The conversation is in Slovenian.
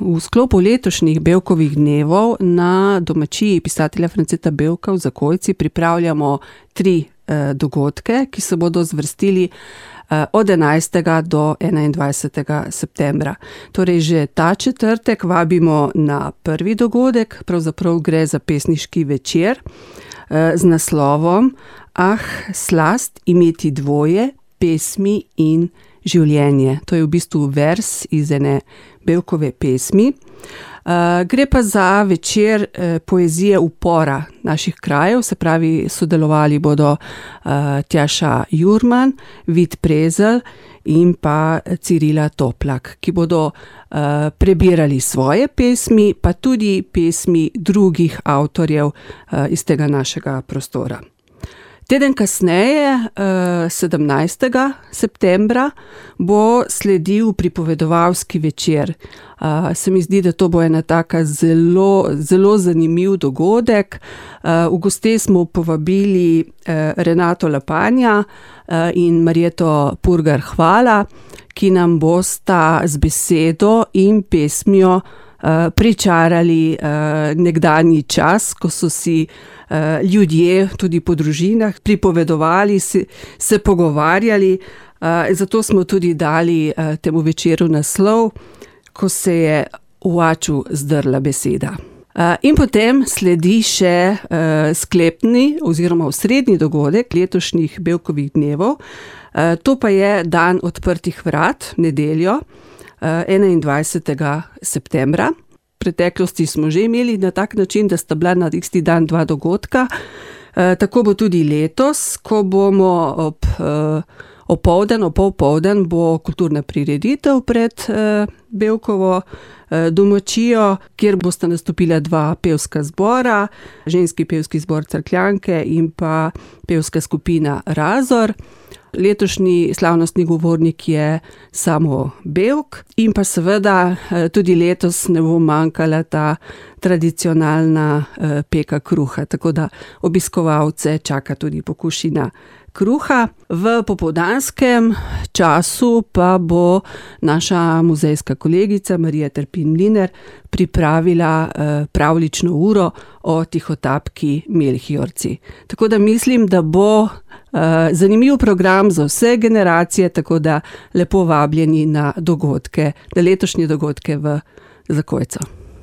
V sklopu letošnjih Bevkovih dnevov na domačiji pisatelja Franceta Bevka v Zakojci pripravljamo 3 dogodke, ki se bodo zvrstili od 11. do 21. septembra. Torej že ta četrtek vabimo na prvi dogodek, pravzaprav gre za pesniški večer z naslovom Slast imeti dvoje, pesmi in življenje. To je v bistvu vers iz ene Bevkove pesmi. Gre pa za večer poezije upora naših krajev, se pravi, sodelovali bodo Tjaša Jurman, Vid Prezelj in pa Cirila Toplak, ki bodo prebirali svoje pesmi, pa tudi pesmi drugih avtorjev iz tega našega prostora. Teden kasneje, 17. septembra, bo sledil pripovedovalski večer. Se mi zdi, da to bo ena taka zelo zanimiv dogodek. V goste smo povabili Renato Lapanja in Marjeto Purgar Hvala, ki nam bosta z besedo in pesmijo pričarali nekdanji čas, ko so si ljudje tudi po družinah pripovedovali, se pogovarjali. Zato smo tudi dali temu večeru naslov, Ko se je v Aču zdrla beseda. In potem sledi še sklepni oziroma osrednji dogodek letošnjih Bevkovih dnevov. To pa je dan odprtih vrat, nedeljo, 21. septembra. V preteklosti smo že imeli na tak način, da sta bila na isti dan 2 dogodka. Tako bo tudi letos, ko bomo opoldan bo kulturna prireditev pred Bevkovo domačijo, kjer bosta nastopila 2 pevska zbora, ženski pevski zbor Cerkljanke in pa pevska skupina Razor. Letošnji slavnostni govornik je Samo Bevk in pa seveda tudi letos ne bo manjkala ta tradicionalna peka kruha, tako da obiskovalce čaka tudi pokušina kruha. V popoldanskem času pa bo naša muzejska kolegica Marija Terpin Mlinar pripravila pravljično uro o tihotapki Melhiorci. Tako da mislim, da bo zanimiv program za vse generacije, tako da lepo vabljeni na dogodke, na letošnje dogodke v Zakojco.